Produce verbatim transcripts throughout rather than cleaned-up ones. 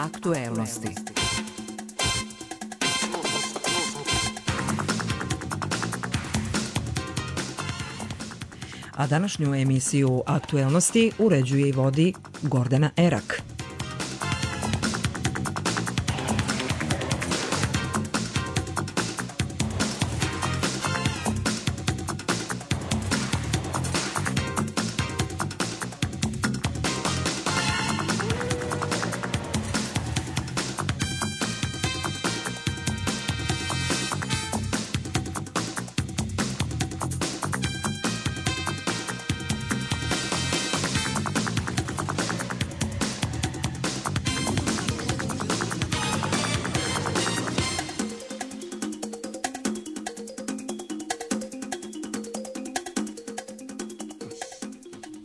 Aktuelnosti. A današnju emisiju Aktuelnosti uređuje i vodi Gordana Erak.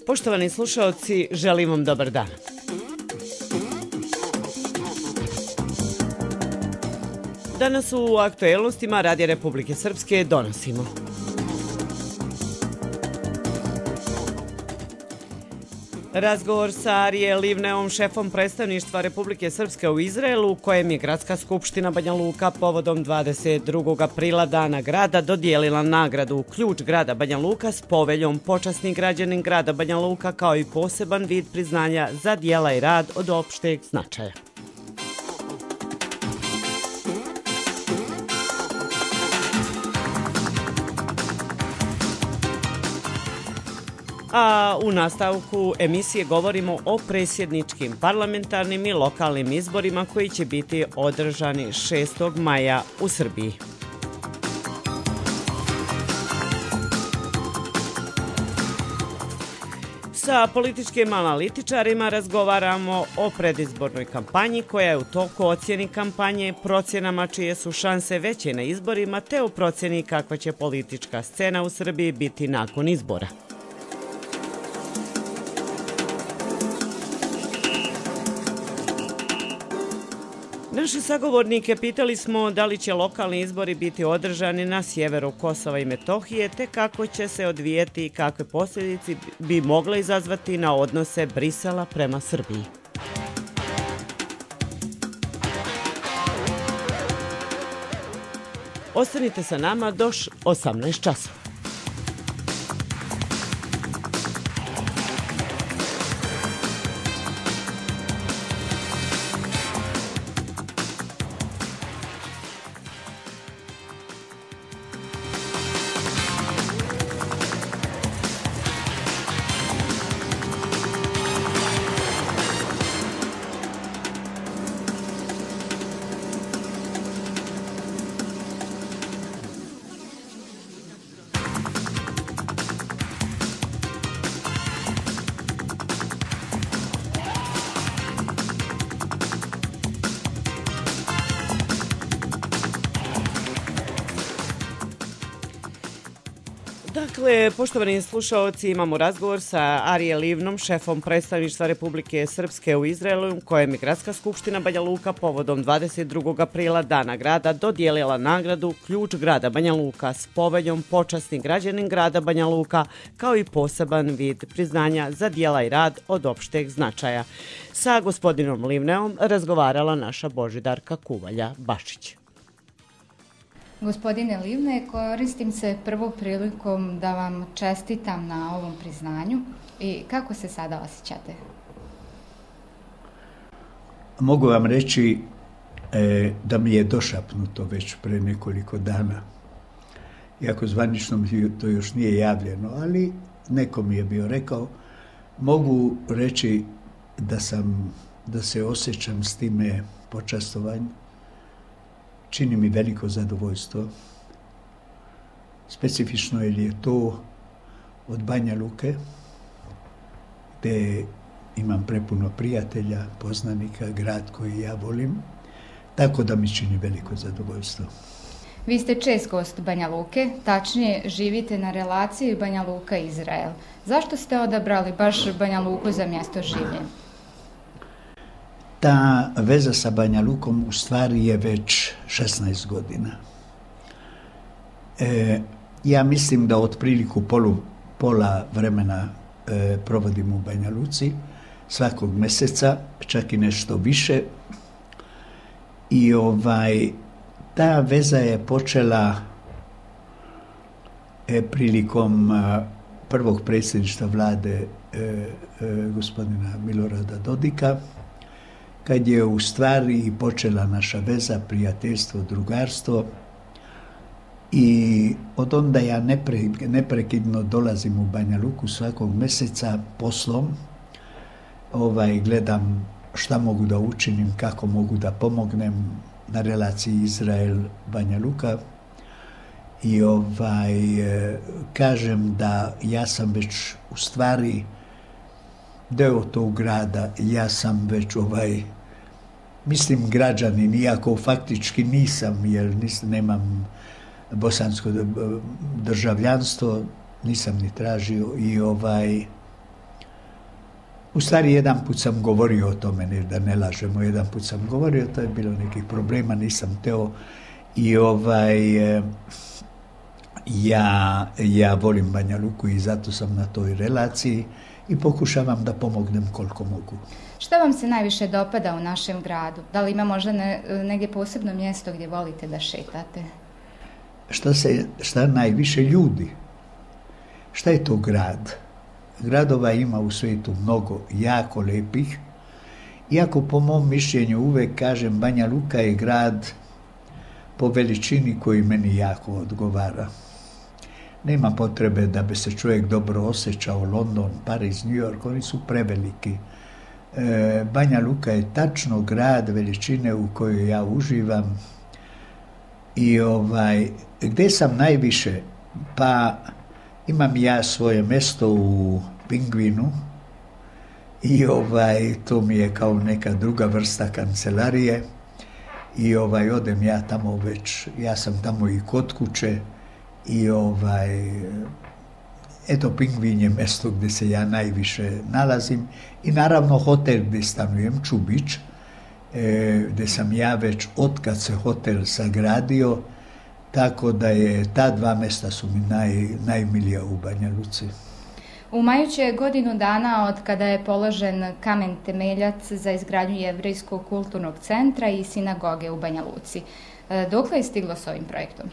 Poštovani slušaoci, želim vam dobar dan. Danas u aktuelnostima Radija Republike Srpske donosimo. Razgovor sa Arije Livneom, šefom predstavništva Republike Srpske u Izraelu, u kojem je Gradska skupština Banja Luka povodom dvadeset drugog aprila Dana grada dodijelila nagradu Ključ grada Banja Luka s poveljom Počasni građanin grada Banja Luka kao i poseban vid priznanja za djela i rad od opšteg značaja. A u nastavku emisije govorimo o predsjedničkim, parlamentarnim i lokalnim izborima koji će biti održani šestog maja u Srbiji. Sa političkim analitičarima razgovaramo o predizbornoj kampanji koja je u toku, ocjeni kampanje, procjenama čije su šanse veće na izborima te o procjeni kakva će politička scena u Srbiji biti nakon izbora. Naše sagovornike pitali smo da li će lokalni izbori biti održani na sjeveru Kosova i Metohije, te kako će se odvijeti i kakve posljedice bi mogle izazvati na odnose Brisela prema Srbiji. Ostanite sa nama do osamnaest časova. Dakle, poštovani slušaoci, imamo razgovor sa Arije Livnom, šefom predstavništva Republike Srpske u Izraelu, kojem je Gradska skupština Banja Luka povodom dvadeset drugog aprila Dana grada dodijelila nagradu Ključ grada Banja Luka s poveljom Počasni građanin grada Banja Luka kao i poseban vid priznanja za djela i rad od opšteg značaja. Sa gospodinom Livneom razgovarala naša Božidarka Kuvalja-Bašić. Gospodine Livne, koristim se prvom prilikom da vam čestitam na ovom priznanju i kako se sada osjećate? Mogu vam reći e, da mi je došapnuto već pre nekoliko dana. Iako zvanično mi to još nije javljeno, ali neko mi je bio rekao. Mogu reći da sam, da se osjećam s time počastovanjem. Čini mi veliko zadovoljstvo. Specifično jer je to od Banja Luke, gdje imam prepuno prijatelja, poznanika, grad koji ja volim, tako da mi čini veliko zadovoljstvo. Vi ste čest gost Banja Luke, tačnije živite na relaciji Banja Luka-Izrael. Zašto ste odabrali baš Banja Luku za mjesto življenja? Ta veza sa Banja Lukom u stvari je već šesnaest godina. E, ja mislim da otpriliku polu, pola vremena e, provodim u Banja Luci, svakog mjeseca, čak i nešto više, I ovaj, ta veza je počela e, prilikom a, prvog predsjedništva vlade e, e, gospodina Milorada Dodika, kad je u stvari počela naša veza, prijateljstvo, drugarstvo. I od onda ja nepre, neprekidno dolazim u Banja Luku svakog mjeseca poslom. Ovaj, gledam šta mogu da učinim, kako mogu da pomognem na relaciji Izrael-Banja Luka. I ovaj, kažem da ja sam već u stvari deo tog grada, ja sam već ovaj, mislim građanin, iako faktički nisam, jer nis, nemam bosansko državljanstvo, nisam ni tražio. I ovaj, u stvari jedan put sam govorio o tome, ne, da ne lažemo, jedan put sam govorio, to je bilo nekih problema, nisam teo. I ovaj, ja, ja volim Banja Luku i zato sam na toj relaciji i pokušavam da pomognem koliko mogu. Šta vam se najviše dopada u našem gradu? Da li ima možda ne, negdje posebno mjesto gdje volite da šetate? Šta, se, šta najviše ljudi? Šta je to grad? Gradova ima u svijetu mnogo jako lepih, iako po mom mišljenju uvek kažem Banja Luka je grad po veličini koji meni jako odgovara. Nema potrebe da bi se čovjek dobro osjećao, London, Pariz, New York, oni su preveliki. E, Banja Luka je tačno grad veličine u kojoj ja uživam. I ovaj, gdje sam najviše? Pa imam ja svoje mjesto u Pingvinu i ovaj, to mi je kao neka druga vrsta kancelarije i ovaj, odem ja tamo već, ja sam tamo i kod kuće i ovaj, eto Pingvin je mjesto gdje se ja najviše nalazim i naravno hotel gdje stanujem, Čubić, e, gdje sam ja već otkad se hotel sagradio, tako da je ta dva mjesta su mi naj, najmilija u Banja Luci. U maju će godinu dana od kada je položen kamen temeljac za izgradnju Jevrejskog kulturnog centra i sinagoge u Banja Luci. Dokle je stiglo s ovim projektom?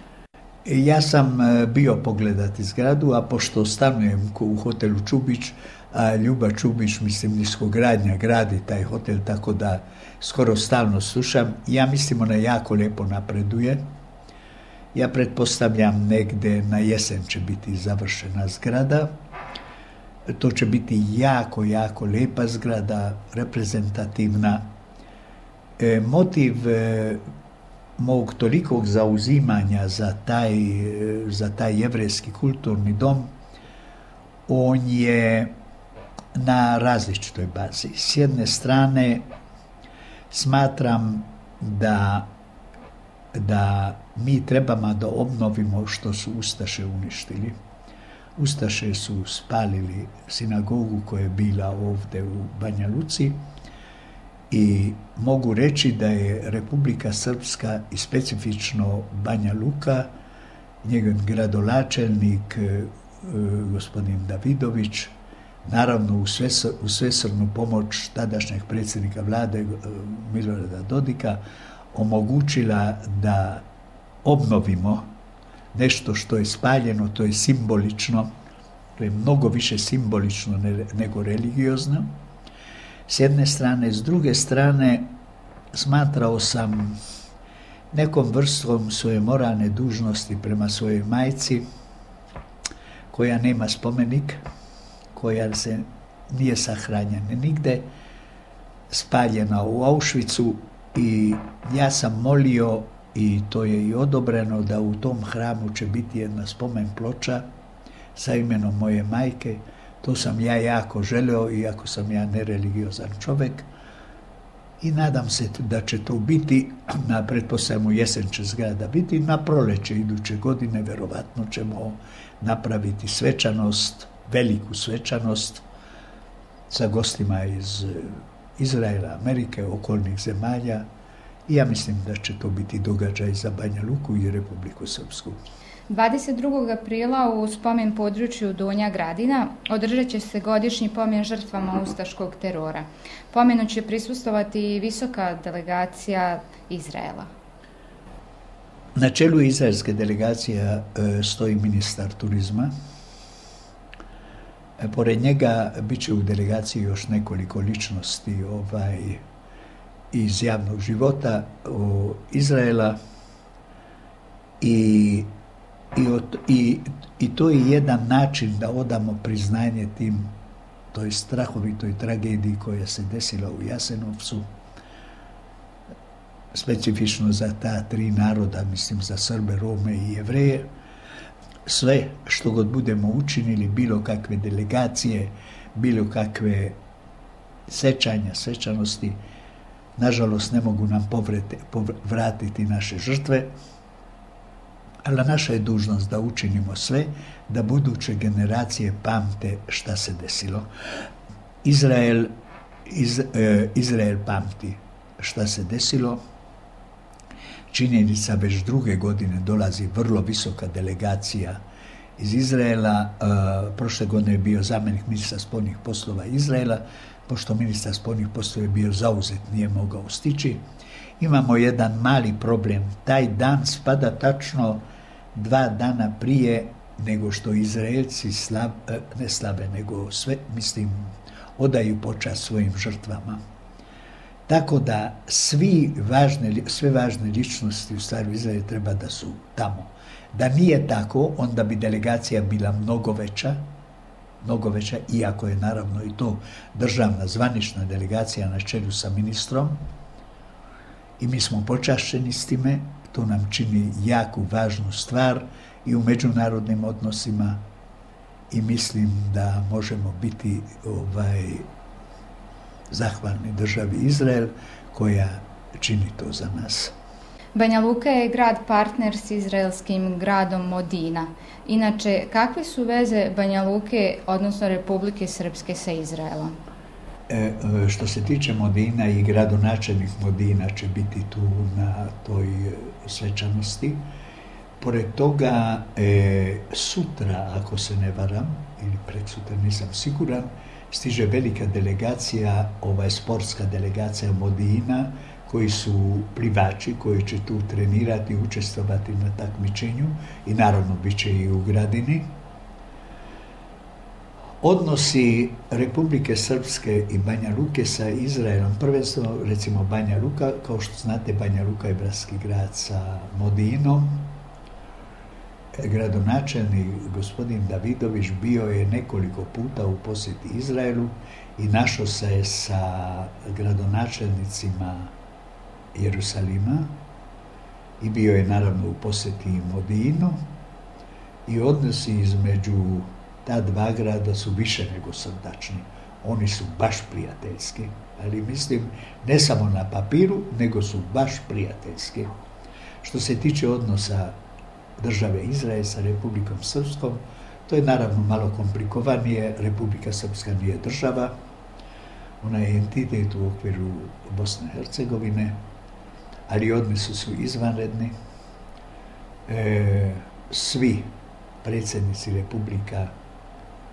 Ja sam bio pogledati zgradu, a pošto stanujem u hotelu Čubić, a Ljuba Čubić, mislim, niskogradnja gradi taj hotel, tako da skoro stalno slušam. Ja mislim ona jako lijepo napreduje. Ja pretpostavljam negde na jesen će biti završena zgrada. To će biti jako, jako lijepa zgrada, reprezentativna. E, motiv e, mog tolikog zauzimanja za taj, e, za taj jevrejski kulturni dom, on je na različitoj bazi. S jedne strane smatram da da mi trebamo da obnovimo što su Ustaše uništili. Ustaše su spalili sinagogu koja je bila ovdje u Banja Luci i mogu reći da je Republika Srpska i specifično Banja Luka, njegov gradonačelnik gospodin Davidović, naravno u, svesr, u svesrnu pomoć tadašnjeg predsjednika vlade Milorada Dodika, omogućila da obnovimo nešto što je spaljeno, to je simbolično, to je mnogo više simbolično nego religiozno. S jedne strane, s druge strane, smatrao sam nekom vrstom svoje moralne dužnosti prema svojoj majci, koja nema spomenik, koja se nije sahranjena nigde, spaljena u Auschwitzu. I ja sam molio, i to je i odobreno, da u tom hramu će biti jedna spomen ploča sa imenom moje majke. To sam ja jako želeo, iako sam ja nereligiozan čovjek. I nadam se da će to biti, na pretpostavljamo jesen će zgrada biti, na proleće iduće godine verovatno ćemo napraviti svečanost, veliku svečanost sa gostima iz Izraela, Amerike, okolnih zemalja i ja mislim da će to biti događaj za Banja Luku i Republiku Srpsku. dvadeset drugog aprila u spomen području Donja Gradina održat će se godišnji pomen žrtvama ustaškog terora. Pomenu će prisustovati i visoka delegacija Izraela. Na čelu izraelske delegacije stoji ministar turizma. Pored njega bit će u delegaciji još nekoliko ličnosti ovaj, iz javnog života o, Izraela i, i, od, i, i to je jedan način da odamo priznanje tim toj strahovitoj tragediji koja se desila u Jasenovcu, specifično za ta tri naroda, mislim za Srbe, Rome i Jevreje. Sve što god budemo učinili, bilo kakve delegacije, bilo kakve sećanja, svečanosti, nažalost ne mogu nam povrete, povratiti naše žrtve, ali naša je dužnost da učinimo sve da buduće generacije pamte šta se desilo. Izrael, iz, eh, Izrael pamti šta se desilo. Činjenica, već druge godine dolazi vrlo visoka delegacija iz Izraela. Uh, prošle godine je bio zamjenik ministra spoljnih poslova Izraela, pošto ministar spoljnih poslova je bio zauzet, nije mogao stići. Imamo jedan mali problem. Taj dan spada tačno dva dana prije nego što Izraelci slav, ne slave, nego sve, mislim, odaju počast svojim žrtvama. Tako da svi važne, sve važne ličnosti u stvari Izraelu treba da su tamo. Da nije tako, onda bi delegacija bila mnogo veća, mnogo veća, iako je naravno i to državna zvanična delegacija na čelu sa ministrom. I mi smo počašćeni s time, to nam čini jaku, važnu stvar i u međunarodnim odnosima i mislim da možemo biti ovaj, zahvalni državi Izrael koja čini to za nas. Banja Luka je grad partner s izraelskim gradom Modina. Inače, kakve su veze Banja Luke, odnosno Republike Srpske, sa Izraelom? E, što se tiče Modina, i gradonačelnik Modina će biti tu na toj svečanosti. Pored toga, e, sutra, ako se ne varam, ili preksutra, nisam siguran, stiže velika delegacija, ovaj sportska delegacija Modina, koji su plivači, koji će tu trenirati, učestvovati na takmičenju i naravno bit će i u Gradini. Odnosi Republike Srpske i Banja Luke sa Izraelom, prvenstveno recimo Banja Luka, kao što znate, Banja Luka je bratski grad sa Modinom. Gradonačelnik gospodin Davidović bio je nekoliko puta u posjeti Izraelu i našao se je sa gradonačelnicima Jerusalima i bio je naravno u posjeti Modinu i odnosi između ta dva grada su više nego srdačni. Oni su baš prijateljski, ali mislim ne samo na papiru, nego su baš prijateljski. Što se tiče odnosa države Izrael sa Republikom Srpskom, to je naravno malo komplikovanije. Republika Srpska nije država, ona je entitet u okviru Bosne i Hercegovine, ali odnosi su izvanredni. E, svi predsjednici Republika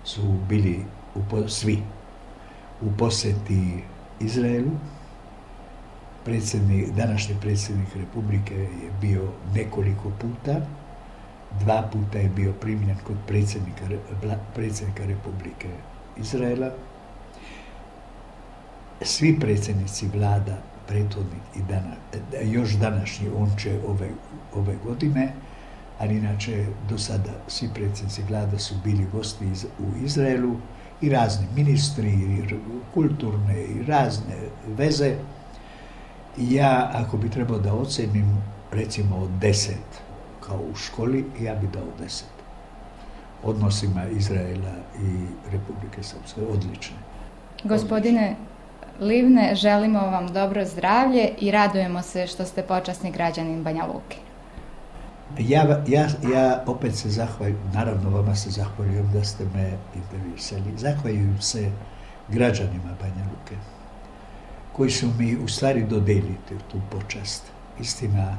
su bili u, svi u posjeti Izraelu. Predsjednik, današnji predsjednik Republike je bio nekoliko puta. Dva puta je bio primljen kod predsjednika, predsjednika Republike Izraela. Svi predsjednici vlada, prethodnik i dana, još današnji, on će ove, ove godine, ali inače do sada svi predsjednici vlada su bili gosti iz, u Izraelu i razni ministri, i kulturne i razne veze. Ja, ako bi trebao da ocenim, recimo od deset, kao u školi, ja bi dao deset. Odnosima Izraela i Republike Srpske, odlične. Gospodine Livne, želimo vam dobro zdravlje i radujemo se što ste počasni građanin Banja Luke. Ja, ja, ja opet se zahvaljujem, naravno vama se zahvaljujem da ste me intervjuisali. Zahvaljujem se građanima Banja Luke, koji su mi u stvari dodelili tu počast. Istina,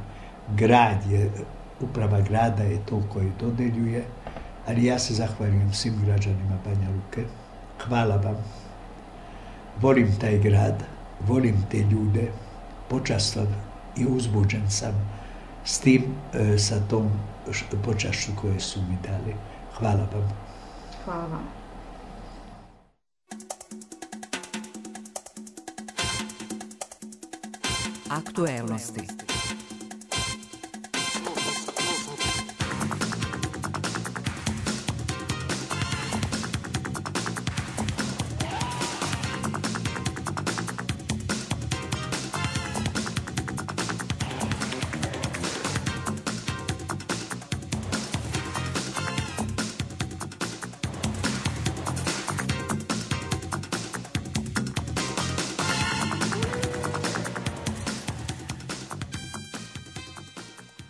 grad je uprava grada je to koji dodeljuje, ali ja se zahvaljujem svim građanima Banja Luke. Hvala vam. Volim taj grad, volim te ljude, počastan i uzbuđen sam s tim, sa tom počašću koje su mi dali. Hvala vam. Hvala vam. Aktuelnosti.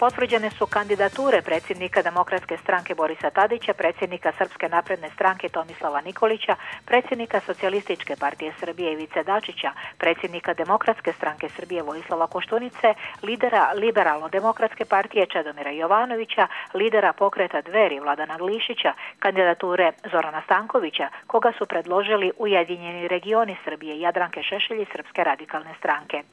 Potvrđene su kandidature predsjednika Demokratske stranke Borisa Tadića, predsjednika Srpske napredne stranke Tomislava Nikolića, predsjednika Socijalističke partije Srbije Ivice Dačića, predsjednika Demokratske stranke Srbije Vojislava Koštunice, lidera Liberalno-demokratske partije Čedomira Jovanovića, lidera pokreta Dveri Vladana Glišića, kandidature Zorana Stankovića, koga su predložili Ujedinjeni regioni Srbije Jadranke Šešelj i Srpske radikalne stranke.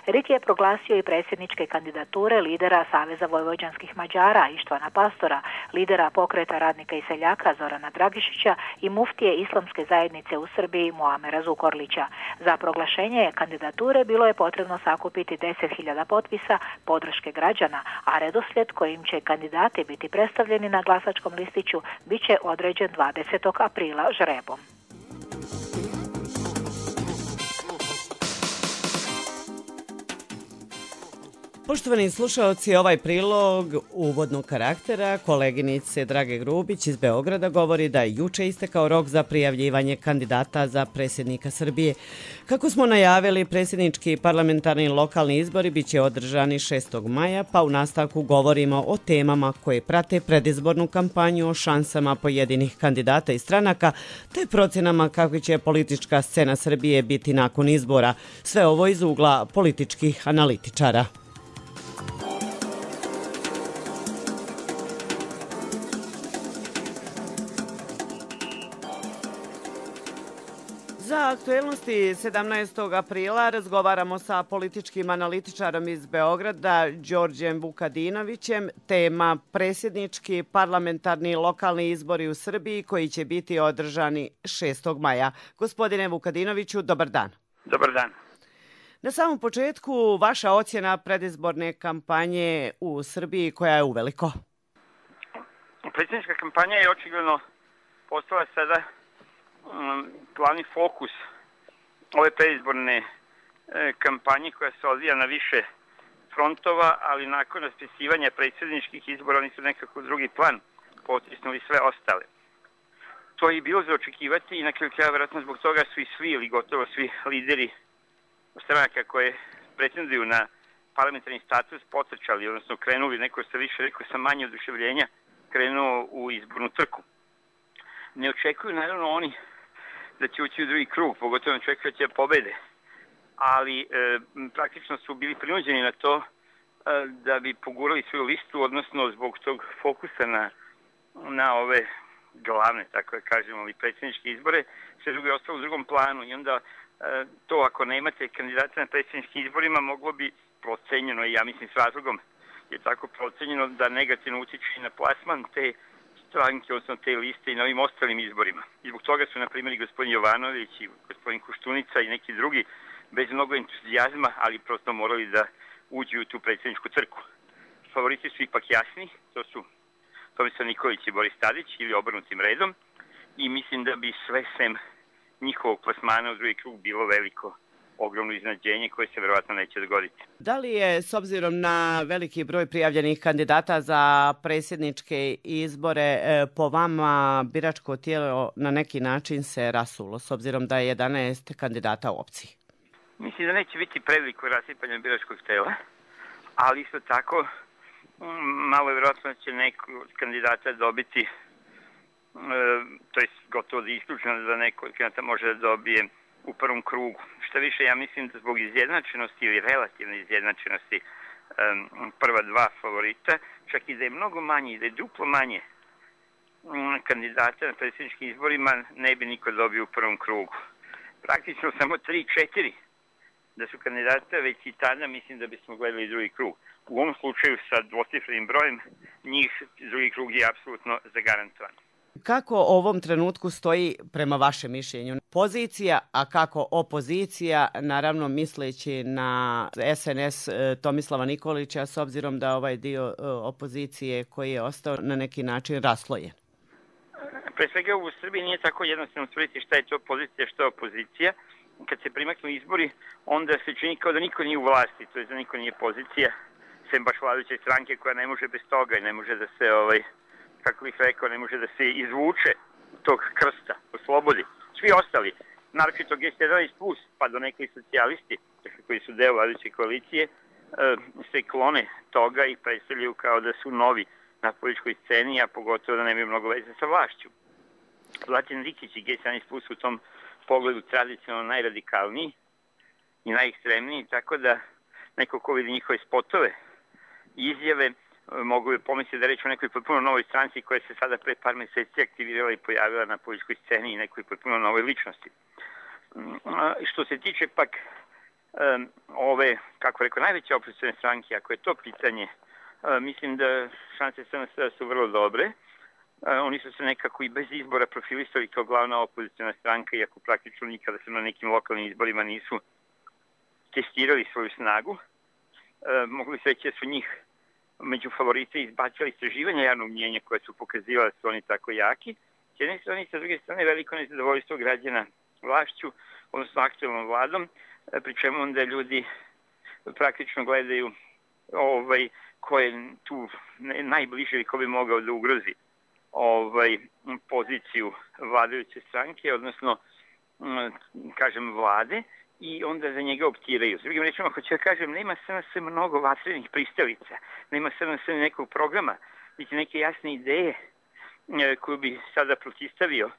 R I T je proglasio i predsjedničke kandidature lidera Saveza vojvođanskih Mađara Ištvana Pastora, lidera pokreta radnika i seljaka Zorana Dragišića i muftije Islamske zajednice u Srbiji Muamera Zukorlića. Za proglašenje kandidature bilo je potrebno sakupiti deset hiljada potpisa podrške građana, a redoslijed kojim će kandidati biti predstavljeni na glasačkom listiću bit će određen dvadesetog aprila žrebom. Poštovani slušaoci, ovaj prilog uvodnog karaktera koleginice Drage Grubić iz Beograda govori da je juče istekao rok za prijavljivanje kandidata za predsjednika Srbije. Kako smo najavili, predsjednički parlamentarni lokalni izbori bit će održani šestog maja, pa u nastavku govorimo o temama koje prate predizbornu kampanju, o šansama pojedinih kandidata i stranaka, te procjenama kako će politička scena Srbije biti nakon izbora. Sve ovo iz ugla političkih analitičara. Za aktuelnosti sedamnaestog aprila razgovaramo sa političkim analitičarom iz Beograda, Đorđem Vukadinovićem. Tema predsjednički, parlamentarni, lokalni izbori u Srbiji koji će biti održani šestog maja. Gospodine Vukadinoviću, dobar dan. Dobar dan. Na samom početku, vaša ocjena predizborne kampanje u Srbiji koja je uveliko? Predsjednička kampanja je očigledno postala sada glavni fokus ove predizborne kampanje koja se odvija na više frontova, ali nakon raspisivanja predsjedničkih izbora oni su nekako drugi plan potisnuli sve ostale. To je i bilo za očekivati i na kraju kraja vjerojatno zbog toga su i svi ili gotovo svi lideri stranaka koje pretenduju na parlamentarni status potrčali, odnosno krenuli, neko se više rekao sa manje oduševljenja, krenuo u izbornu trku. Ne očekuju naravno oni da će ući u drugi krug, pogotovo ne očekuju da će pobede, ali e, praktično su bili prinuđeni na to e, da bi pogurali svoju listu, odnosno zbog tog fokusa na, na ove glavne, tako da kažemo, ali predsjedničke izbore, sve drugo je ostalo u drugom planu i onda e, to ako nemate kandidata na predsjedničkim izborima moglo bi procenjeno, i ja mislim s razlogom je tako procenjeno da negativno utiče i na plasman te stranke, odnosno te liste i na ovim ostalim izborima. I zbog toga su, na primjer, i gospodin Jovanović i gospodin Koštunica i neki drugi bez mnogo entuzijazma, ali prosto morali da uđu u tu predsjedničku trku. Favoriti su ipak jasni, to su Tomislav Nikolić i Boris Tadić ili obrnutim redom i mislim da bi sve sem njihovog plasmana u drugi krug bilo veliko, ogromno iznenađenje koje se verovatno neće dogoditi. Da li je, s obzirom na veliki broj prijavljenih kandidata za predsjedničke izbore, po vama biračko tijelo na neki način se rasulo, s obzirom da je jedanaest kandidata u opciji? Mislim da neće biti preveliko rasipanje biračkog tela, ali isto tako malo je verovatno da će neko od kandidata dobiti, e, to je gotovo da je isključeno da neko od kandidata može da dobije u prvom krugu. Šta više, ja mislim da zbog izjednačenosti ili relativne izjednačenosti prva dva favorita, čak i da je mnogo manje i da je duplo manje kandidata na predsjedničkim izborima, ne bi niko dobio u prvom krugu. Praktično samo tri četiri da su kandidata, već i tada mislim da bismo gledali drugi krug. U ovom slučaju sa dvocifrenim brojem, njih drugi krug je apsolutno zagarantovan. Kako ovom trenutku stoji prema vašem mišljenju pozicija, a kako opozicija, naravno misleći na S N S Tomislava Nikolića, s obzirom da ovaj dio opozicije koji je ostao na neki način raslojen? Pre svega u Srbiji nije tako jednostavno utvrditi šta je to pozicija, šta je opozicija. Kad se primaknu izbori, onda se čini kao da niko nije u vlasti, to je da niko nije pozicija, sem baš vladajuće stranke koja ne može bez toga i ne može da se, ovaj, kako bih rekao, ne može da se izvuče tog krsta, oslobodi. Svi ostali, naročito G sedamnaest plus, pa do nekih socijalisti, koji su deo vladajuće koalicije, se klone toga i predstavljaju kao da su novi na političkoj sceni, a pogotovo da nemaju mnogo veze sa vlašću. Zlatin Rikić i G sedamnaest plus u tom pogledu tradicionalno najradikalniji i najekstremniji, tako da neko ko vidi njihove spotove i izjave mogu bi pomisliti da reći o nekoj potpuno novoj stranci koja se sada pre par meseci aktivirala i pojavila na političkoj sceni i nekoj potpuno novoj ličnosti. Što se tiče pak um, ove, kako rekao, najveće opozicione stranke, ako je to pitanje, uh, mislim da šanse S N S su vrlo dobre. Uh, oni su se nekako i bez izbora profilisali kao glavna opoziciona stranka, iako praktično nikada se na nekim lokalnim izborima nisu testirali svoju snagu. Uh, mogli se reći da su njih među favorite izbacili istraživanja javnog mnjenja koje su pokazivala da su oni tako jaki. S jedne strane i sa druge strane veliko nezadovoljstvo građana vlašću, odnosno aktualnom vladom, pri čemu onda ljudi praktično gledaju ovaj, ko je tu najbliže ili ko bi mogao da ugrozi ovaj, poziciju vladajuće stranke, odnosno kažem vlade, i onda za njega optiraju. S drugim rečima, hoću da kažem, nema S N S mnogo vatrenih pristalica, nema S N S nekog programa, niti neke jasne ideje koju bi sada protistavio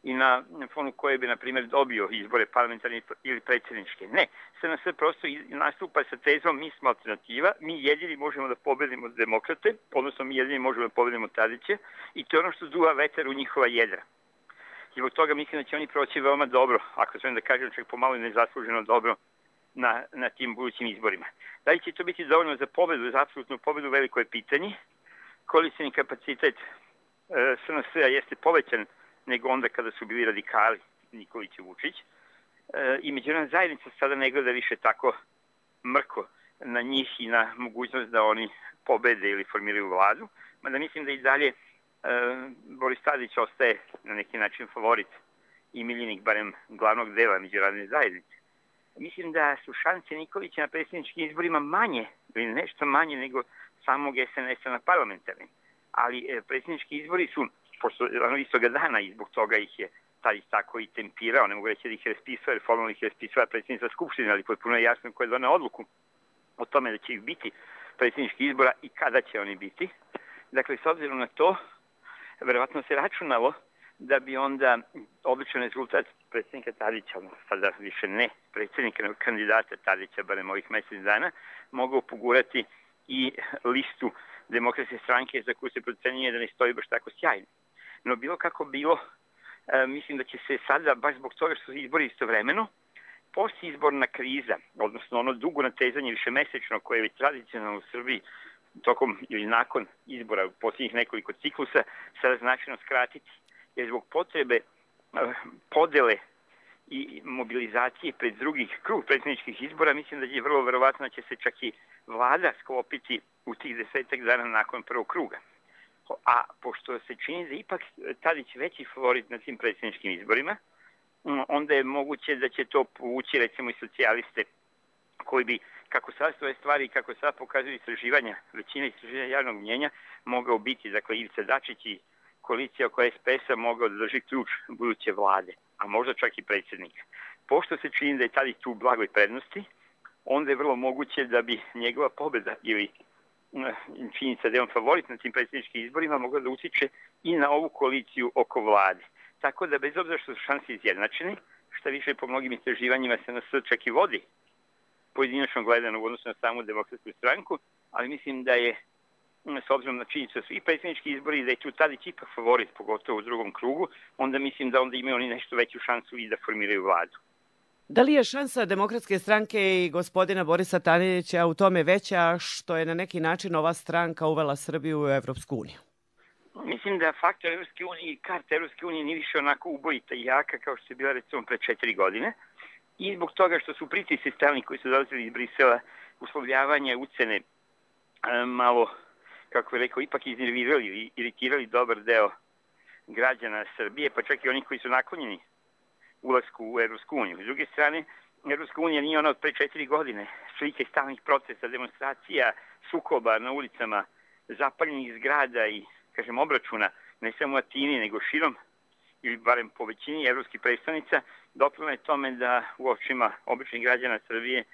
i na fonu koje bi, na primjer, dobio izbore parlamentarne ili predsjedničke. Ne, S N S prosto nastupa sa tezom mi smo alternativa, mi jedini možemo da pobedimo demokrate, odnosno mi jedini možemo da pobedimo Tadića, i to je ono što duva vetar u njihova jedra. I zbog toga mislim da će oni proći veoma dobro, ako smijem da kažem, čak pomalo i nezasluženo dobro na, na tim budućim izborima. Da li će to biti dovoljno za pobedu, za apsolutnu pobedu, veliko je pitanje. Koalicijni kapacitet e, S N S-a jeste povećan nego onda kada su bili radikali Nikolić i Vučić. E, I međunarodna zajednica sada ne gleda više tako mrko na njih i na mogućnost da oni pobede ili formiraju vladu, mada mislim da i dalje Boris Tadić ostaje na neki način favorit i miljenik barem glavnog dela međunarodne zajednice. Mislim da su šanse Nikolića na predsjedničkim izborima manje ili nešto manje nego samog S N S-a na parlamentarnim. Ali predsjednički izbori su, pošto ono istoga dana i zbog toga ih je Tadić tako i tempirao, ne mogu reći da ih je raspisao, jer formalno ih je raspisao predsjednica Skupštine, ali potpuno je jasno ko je doneo odluku o tome da će ih biti predsjednički izbora i kada će oni biti. Dakle, s obzirom na to, verovatno se računalo da bi onda običan rezultat predsjednika Tadića, sada više ne predsjednika, nego kandidata Tadića, barem ovih mjesec dana, mogao pogurati i listu Demokratske stranke za koju se procenjuje da ne stoji baš tako sjajno. No bilo kako bilo, mislim da će se sada, baš zbog toga što su izbori istovremeno, postizborna kriza, odnosno ono dugo natezanje višemesečno koje je već tradicionalno u Srbiji tokom ili nakon izbora u posljednjih nekoliko ciklusa, sada značajno skratiti. Jer zbog potrebe podele i mobilizacije pred drugih krug predsjedničkih izbora, mislim da je vrlo verovatno da će se čak i vlada sklopiti u tih desetak dana nakon prvog kruga. A pošto se čini da ipak Tadić veći favorit na tim predsjedničkim izborima, onda je moguće da će to povući recimo i socijaliste koji bi, kako sad stoje stvari i kako sad pokazuju istraživanja, većina istraživanja javnog mnjenja, mogao biti, dakle, Ivica Dačić i koalicija oko S P S-a mogao da drži ključ buduće vlade, a možda čak i predsjednika. Pošto se čini da je Tadić tu u blagoj prednosti, onda je vrlo moguće da bi njegova pobjeda ili činjenica da je on favorit na tim predsjedničkim izborima mogla da utiče i na ovu koaliciju oko vlade. Tako da, bez obzira što su šanse izjednačene, šta više po mnogim istraživanjima se S N S čak i vodi pojedinačno gledano u odnosu na samu Demokratsku stranku, ali mislim da je, s obzirom na činjenicu da su i predsjednički izbori, da je tu Tadić ipak favorit, pogotovo u drugom krugu, onda mislim da onda imaju oni nešto veću šansu i da formiraju vladu. Da li je šansa Demokratske stranke i gospodina Borisa Tadića u tome veća što je na neki način ova stranka uvela Srbiju u Evropsku uniju? Mislim da faktor Evropske unije i karta Evropske unije nije više onako ubojita i jaka kao što je bila recimo pre četiri godine. I zbog toga što su pritisci stalni koji su dolazili iz Brisela, uslovljavanje, ucene, malo, kako je rekao, ipak iznervirali i iritirali dobar deo građana Srbije, pa čak i oni koji su naklonjeni ulasku u Evropsku uniju. S druge strane, Evropska unija nije ona od pre četiri godine. Slike stalnih procesa, demonstracija, sukoba na ulicama, zapaljenih zgrada i, kažem, obračuna, ne samo u Atini, nego širom, ili barem po većini evropskih predstavnica, doprilo je tome da u očima običnih građana Srbije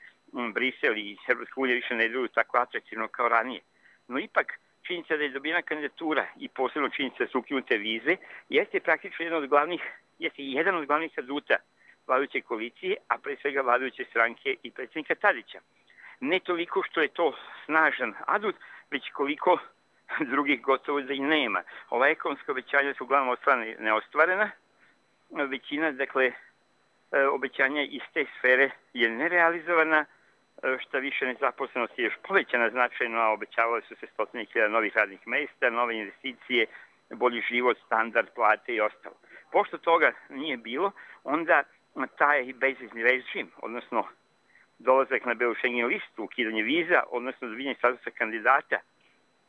Brisel i Evropska unija više ne deluju tako atraktivno kao ranije. No ipak, činjenica da je dobijena kandidatura i posebno činjenica da su ukinute vize, jeste praktično jedan od glavnih, jeste jedan od glavnih aduta vladajuće koalicije, a pre svega vladajuće stranke i predsjednika Tadića. Ne toliko što je to snažan adut, već koliko drugih gotovo da i nema. Ova ekonomska obećanja su uglavnom ostvarena neostvarena. Većina, dakle, obećanja iz te sfere je nerealizovana, šta više nezaposlenost je još povećana značajno, a obećavale su se stotine hiljada novih radnih mesta, nove investicije, bolji život, standard, plate i ostalo. Pošto toga nije bilo, onda taj bezvizni režim, odnosno dolazak na belu Schengen listu, ukidanje viza, odnosno dobijanje statusa kandidata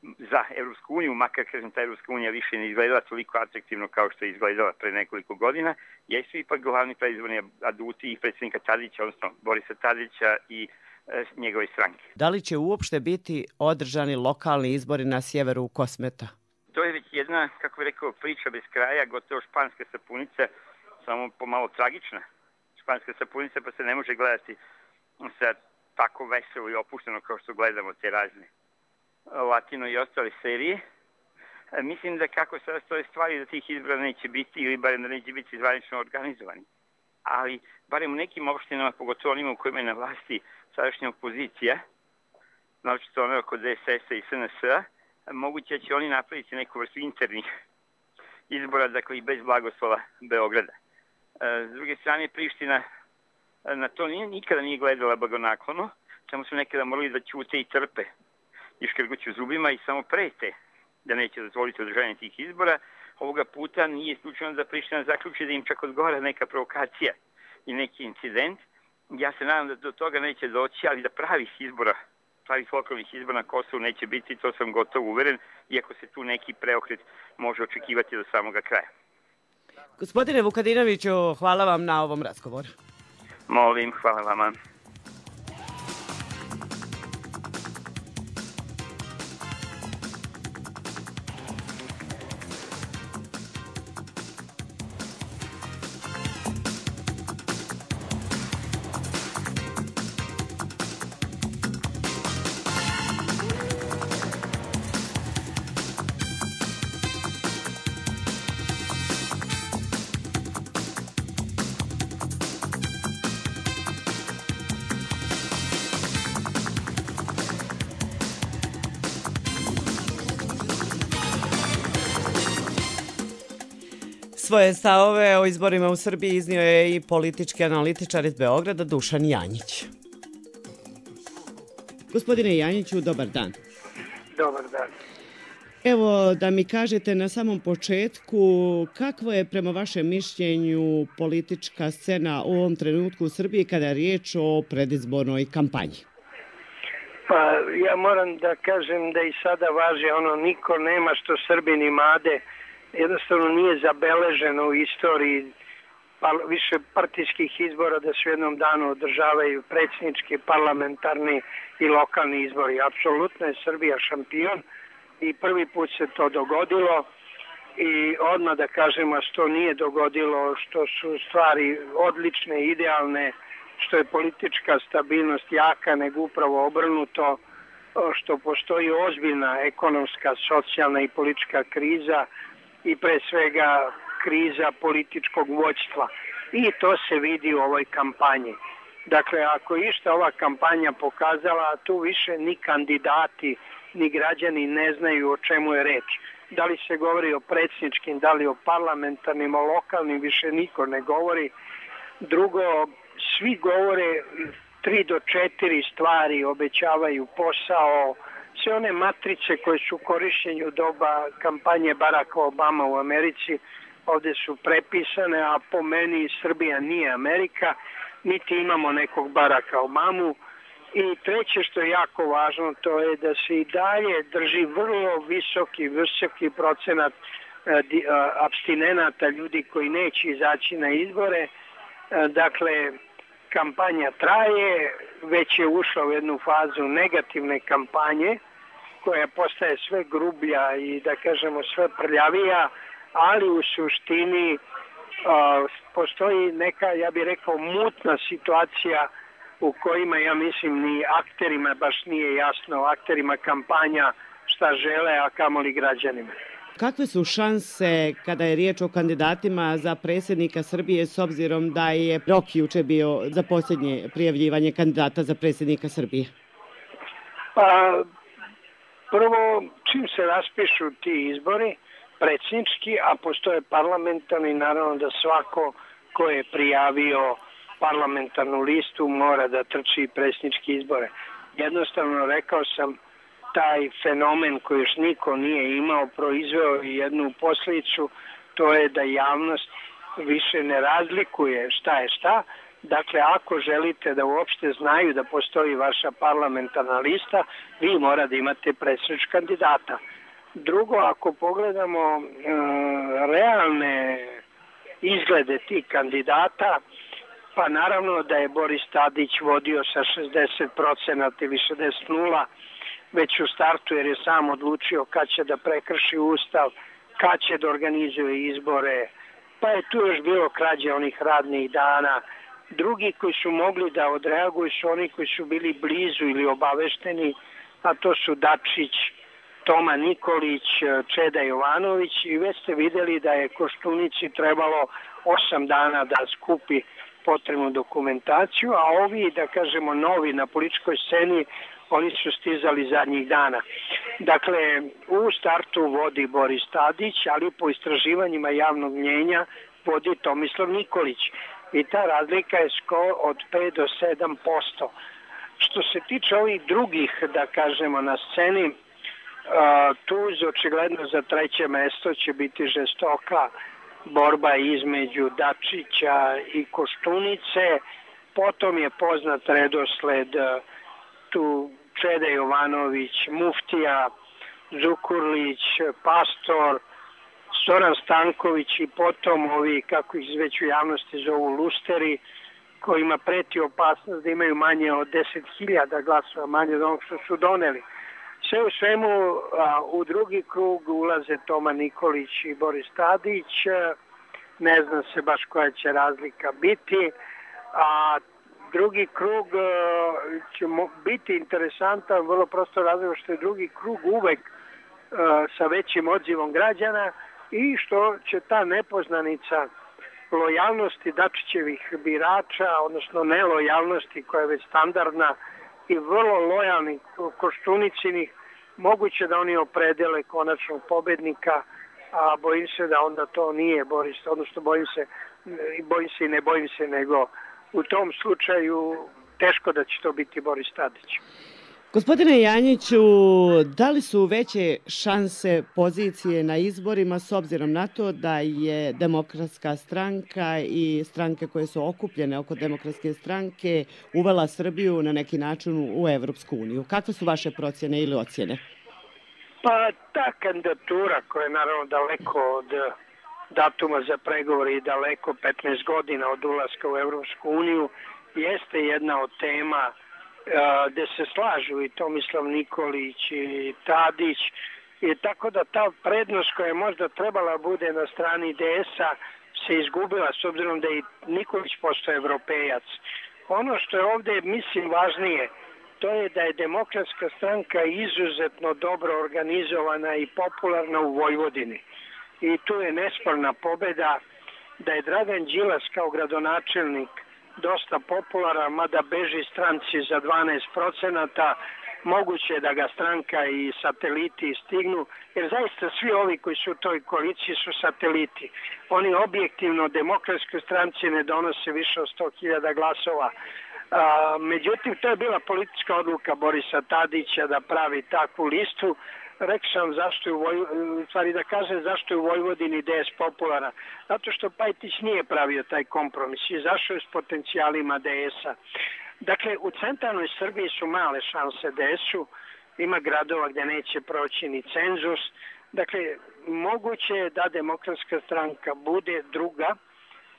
za Evropsku uniju, makar kažem ta Evropska unija više ne izgledala toliko atraktivno kao što je izgledala pre nekoliko godina, jesu ipak glavni predizborni aduti i predsjednika Tadića, odnosno Borisa Tadića i e, njegove stranke. Da li će uopšte biti održani lokalni izbori na sjeveru Kosmeta? To je već jedna, kako bih rekao, priča bez kraja, gotovo španska sapunica, samo pomalo tragična španska sapunica, pa se ne može gledati sa tako veselo i opušteno kao što gledamo te razne Latino i ostale serije. Mislim da kako sada stoje stvari da tih izbora neće biti ili barem da neće biti zvanično organizovani. Ali barem u nekim opštinama, pogotovo onima u kojima je na vlasti sadašnja opozicija, naočito ono oko D S S-a i S N S-a, moguće da će oni napraviti neku vrstu internih izbora, dakle i bez blagoslova Beograda. S druge strane, Priština na to nije, nikada nije gledala blagonaklono, samo su nekada morali da ćute i trpe i škrguću zubima i samo prete da neće dozvoliti održavanje tih izbora. Ovoga puta nije isključeno da Priština zaključi da im čak odgovara neka provokacija i neki incident. Ja se nadam da do toga neće doći, ali da pravih izbora, pravih lokalnih izbora na Kosovu neće biti, to sam gotovo uveren, iako se tu neki preokret može očekivati do samoga kraja. Gospodine Vukadinoviću, hvala vam na ovom razgovoru. Molim, hvala vama. Svoje stavove o izborima u Srbiji iznio je i politički analitičar iz Beograda Dušan Janjić. Gospodine Janjiću, dobar dan. Dobar dan. Evo da mi kažete na samom početku kakva je prema vašem mišljenju politička scena u ovom trenutku u Srbiji kada je riječ o predizbornoj kampanji? Pa ja moram da kažem da i sada važi ono niko nema što Srbin imade. Jednostavno nije zabeleženo u istoriji pa, više partijskih izbora da se u jednom danu održavaju predsjednički, parlamentarni i lokalni izbori. Apsolutno je Srbija šampion i prvi put se to dogodilo i odmah da kažemo što to nije dogodilo, što su stvari odlične, idealne, što je politička stabilnost jaka, nego upravo obrnuto, što postoji ozbiljna ekonomska, socijalna i politička kriza i pre svega kriza političkog vođstva. I to se vidi u ovoj kampanji. Dakle, ako je išta ova kampanja pokazala, tu više ni kandidati, ni građani ne znaju o čemu je reč. Da li se govori o predsjedničkim, da li o parlamentarnim, o lokalnim, više niko ne govori. Drugo, svi govore tri do četiri stvari, obećavaju posao, sve one matrice koje su u korišćenju doba kampanje Baracka Obama u Americi, ovdje su prepisane, a po meni Srbija nije Amerika, niti imamo nekog Baracka Obamu. I treće što je jako važno, to je da se i dalje drži vrlo visoki, visoki procenat apstinenata, ljudi koji neće izaći na izbore. Dakle, kampanja traje, već je ušla u jednu fazu negativne kampanje, koja postaje sve grublja i, da kažemo, sve prljavija, ali u suštini a, postoji neka, ja bih rekao, mutna situacija u kojima, ja mislim, ni akterima baš nije jasno, akterima kampanja šta žele, a kamoli građanima. Kakve su šanse kada je riječ o kandidatima za predsjednika Srbije s obzirom da je rok juče bio za posljednje prijavljivanje kandidata za predsjednika Srbije? Pa, prvo, čim se raspišu ti izbori, predsjednički, a postoje parlamentarni, naravno da svako ko je prijavio parlamentarnu listu mora da trči predsjedničke izbore. Jednostavno, rekao sam, taj fenomen koji još niko nije imao proizveo jednu posljedicu, to je da javnost više ne razlikuje šta je šta. Dakle, ako želite da uopšte znaju da postoji vaša parlamentarna lista, vi mora da imate predsjedničkog kandidata. Drugo, ako pogledamo e, realne izglede tih kandidata, pa naravno da je Boris Tadić vodio sa šezdeset procenata ili šezdeset nula već u startu, jer je sam odlučio kad će da prekrši ustav, kad će da organizuje izbore, pa je tu još bilo krađe onih radnih dana. Drugi koji su mogli da odreaguju su oni koji su bili blizu ili obavešteni, a to su Dačić, Toma Nikolić, Čeda Jovanović, i već ste vidjeli da je Koštunici trebalo osam dana da skupi potrebnu dokumentaciju, a ovi, da kažemo, novi na političkoj sceni, oni su stizali zadnjih dana. Dakle, u startu vodi Boris Tadić, ali po istraživanjima javnog mnjenja vodi Tomislav Nikolić. I ta razlika je skoro od pet do sedam posto. Što se tiče ovih drugih, da kažemo, na sceni, tu očigledno za treće mesto će biti žestoka borba između Dačića i Koštunice. Potom je poznat redosled tu Čeda Jovanović, Muftija, Zukurlić, Pastor, Zoran Stanković i potom ovi, kako ih već u javnosti zovu, lusteri, kojima preti opasnost da imaju manje od deset hiljada glasova, manje od onog što su doneli. Sve u svemu, a, u drugi krug ulaze Toma Nikolić i Boris Tadić, ne zna se baš koja će razlika biti, a drugi krug će biti interesantan, vrlo prosto razlog što je drugi krug uvek sa većim odzivom građana i što će ta nepoznanica lojalnosti Dačićevih birača, odnosno nelojalnosti koja je već standardna i vrlo lojalnih Koštunicinih, moguće da oni opredele konačnog pobednika, a bojim se da onda to nije Boris, odnosno bojim se, bojim se i ne bojim se, nego u tom slučaju teško da će to biti Boris Tadić. Gospodine Janjiću, da li su veće šanse pozicije na izborima s obzirom na to da je Demokratska stranka i stranke koje su okupljene oko Demokratske stranke uvela Srbiju na neki način u Evropsku uniju? Kakve su vaše procjene ili ocjene? Pa ta kandidatura koja je naravno daleko od datuma za pregovore i daleko petnaest godina od ulaska u Evropsku uniju jeste jedna od tema gde se slažu i Tomislav Nikolić i Tadić, i tako da ta prednost koja je možda trebala bude na strani D S-a se izgubila, s obzirom da je Nikolić postao evropejac. Ono što je ovdje, mislim, važnije, to je da je Demokratska stranka izuzetno dobro organizovana i popularna u Vojvodini. I tu je nesporna pobeda da je Dragan Đilas kao gradonačelnik dosta popularan, mada beži stranci za dvanaest procenata, moguće je da ga stranka i sateliti stignu, jer zaista svi ovi koji su u toj koaliciji su sateliti. Oni objektivno demokratskoj stranci ne donose više od sto hiljada glasova. A, međutim, to je bila politička odluka Borisa Tadića da pravi takvu listu. Rekao sam zašto je u Vojvodini, stvari da kažem zašto je u Vojvodini D S popularan. Zato što Pajtić nije pravio taj kompromis, izašao je s potencijalima D S-a. Dakle, u centralnoj Srbiji su male šanse D S-u, ima gradova gdje neće proći ni cenzus. Dakle, moguće je da Demokratska stranka bude druga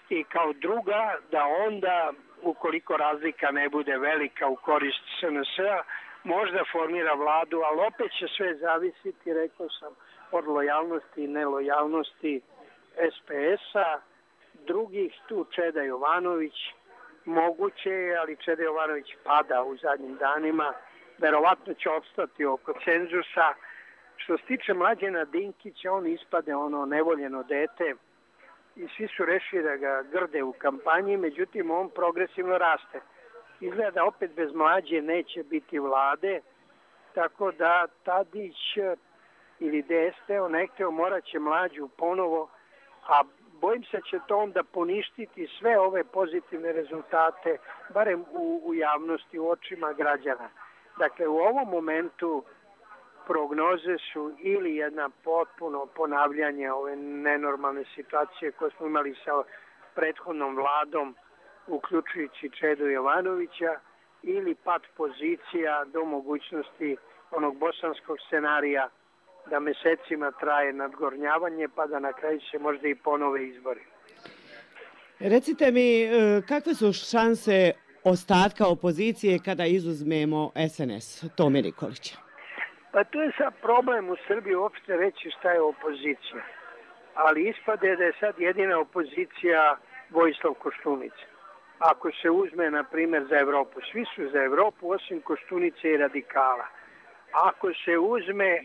i kao druga da onda, ukoliko razlika ne bude velika u korist S N S-a, možda formira vladu, ali opet će sve zavisiti, rekao sam, od lojalnosti i nelojalnosti S P S-a, drugih tu Čeda Jovanović, moguće je, ali Čeda Jovanović pada u zadnjim danima, verovatno će opstati oko cenzusa. Što se tiče Mlađana Dinkića, on ispade ono nevoljeno dete i svi su rešili da ga grde u kampanji, međutim on progresivno raste. Izgleda opet bez Mlađe neće biti vlade, tako da Tadić ili D S teo nekteo morat će Mlađu ponovo, a bojim se će to onda poništiti sve ove pozitivne rezultate, barem u, u javnosti, u očima građana. Dakle, u ovom momentu prognoze su ili jedna potpuno ponavljanje ove nenormalne situacije koje smo imali sa prethodnom vladom, uključujući Čedu Jovanovića, ili pad pozicija do mogućnosti onog bosanskog scenarija da mesecima traje nadgornjavanje pa da na kraju se možda i ponove izbori. Recite mi, kakve su šanse ostatka opozicije kada izuzmemo S N S, Tome Nikolića? Pa to je sad problem u Srbiji uopšte reći šta je opozicija. Ali ispade da je sad jedina opozicija Vojislav Koštunica. Ako se uzme, na primjer, za Evropu, svi su za Evropu osim Koštunice i radikala. Ako se uzme,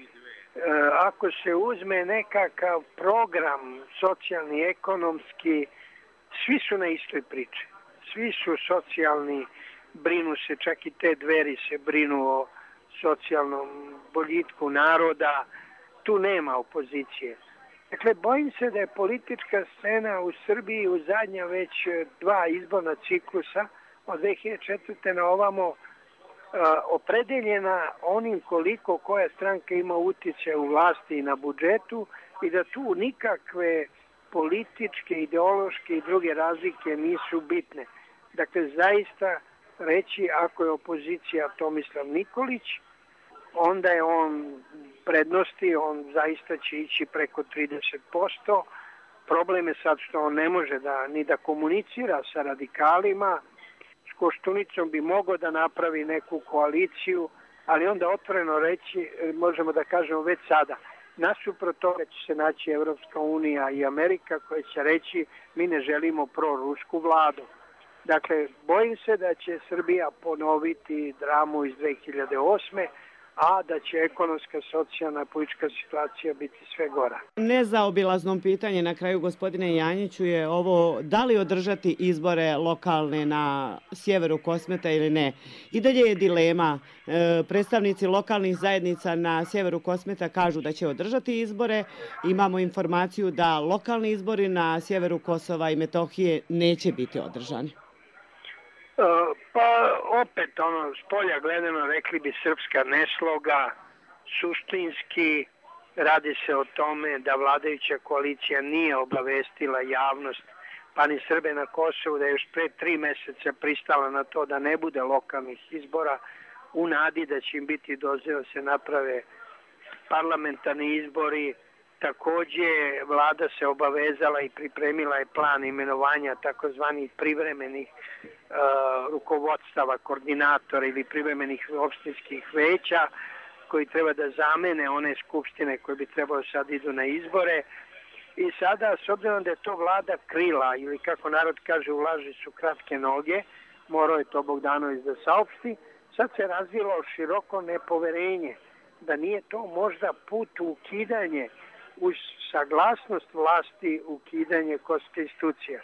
ako se uzme nekakav program socijalni, ekonomski, svi su na istoj priči. Svi su socijalni, brinu se, čak i te Dveri se brinu o socijalnom boljitku naroda, tu nema opozicije. Dakle, bojim se da je politička scena u Srbiji u zadnja već dva izborna ciklusa od dve hiljade četvrte na ovamo uh, opredeljena onim koliko koja stranka ima uticaja u vlasti i na budžetu i da tu nikakve političke, ideološke i druge razlike nisu bitne. Dakle, zaista reći ako je opozicija Tomislav Nikolić, onda je on prednosti, on zaista će ići preko trideset posto. Problem je sad što on ne može da, ni da komunicira sa radikalima. S Koštunicom bi mogao da napravi neku koaliciju, ali onda otvoreno reći, možemo da kažemo već sada, nasuprot toga će se naći Evropska unija i Amerika koja će reći mi ne želimo prorusku vladu. Dakle, bojim se da će Srbija ponoviti dramu iz dve hiljade osme, a da će ekonomska, socijalna, politička situacija biti sve gora. Nezaobilazno pitanje na kraju, gospodine Janjiću, je ovo da li održati izbore lokalne na sjeveru Kosmeta ili ne. I dalje je dilema. E, predstavnici lokalnih zajednica na sjeveru Kosmeta kažu da će održati izbore. Imamo informaciju da lokalni izbori na sjeveru Kosova i Metohije neće biti održani. Pa opet, ono, s polja gledano rekli bi srpska nesloga, suštinski radi se o tome da vladajuća koalicija nije obavestila javnost, pa ni Srbe na Kosovu, da je još pre tri meseca pristala na to da ne bude lokalnih izbora, u nadi da će im biti dozvoljeno da se naprave parlamentarni izbori. Takođe, vlada se obavezala i pripremila je plan imenovanja takozvanih privremenih uh, rukovodstava, koordinatora ili privremenih opštinskih veća koji treba da zamene one skupštine koje bi trebalo sad idu na izbore. I sada, s obzirom da je to vlada krila, ili kako narod kaže, u laži su kratke noge, morao je to Bogdanović da saopšti, sad se razvilo široko nepoverenje da nije to možda put u ukidanje uz saglasnost vlasti ukidanje kosovske institucija.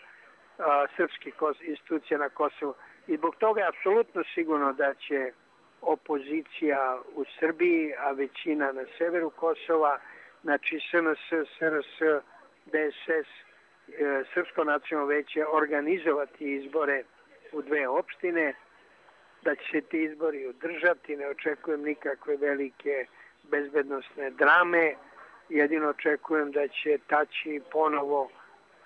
a, srpskih institucija na Kosovu. I zbog toga je apsolutno sigurno da će opozicija u Srbiji, a većina na severu Kosova, znači S N S, S R S, D S S, e, Srpsko nacionalno veće organizovati izbore u dve opštine, da će se ti izbori održati, ne očekujem nikakve velike bezbednosne drame, jedino očekujem da će Tači ponovo